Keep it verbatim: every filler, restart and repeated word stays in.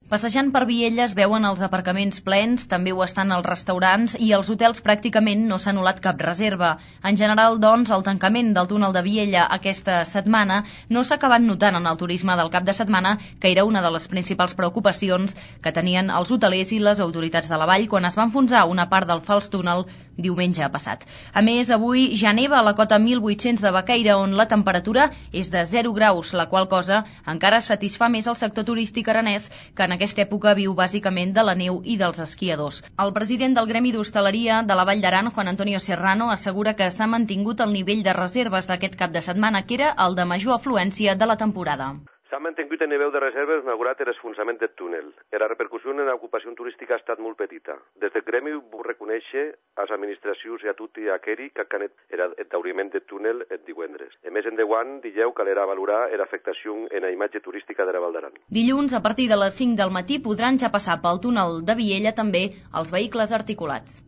Passejant per Viella es veuen els aparcaments plens, també ho estan els restaurants i els hotels pràcticament no s'ha anul·lat cap reserva. En general, doncs, el tancament del túnel de Viella aquesta setmana no s'ha acabat notant en el turisme del cap de setmana, que era una de les principals preocupacions que tenien els hotelers i les autoritats de la vall quan es va enfonsar una part del fals túnel diumenge passat. A més, avui ja neva a la cota mil vuit-cents de Baqueira, on la temperatura és de zero graus, la qual cosa encara satisfà més el sector turístic aranès, que en aquesta època viu bàsicament de la neu i dels esquiadors. El president del Gremi d'Hostaleria de la Vall d'Aran, Juan Antonio Serrano, assegura que s'ha mantingut el nivell de reserves d'aquest cap de setmana, que era el de major afluència de la temporada. S'ha mantingut el nivell de reserves malgrat l'esfonsament del túnel. La repercussió en l'ocupació turística ha estat molt petita. Des del gremi vull reconèixer a les administracions i a tot i a Keri que han el tauriment del túnel el divendres. A més, endavant, dijeu que l'era valorar l'afectació en la imatge turística de la Val d'Aran. Dilluns, a partir de les cinc del matí, podran ja passar pel túnel de Viella també els vehicles articulats.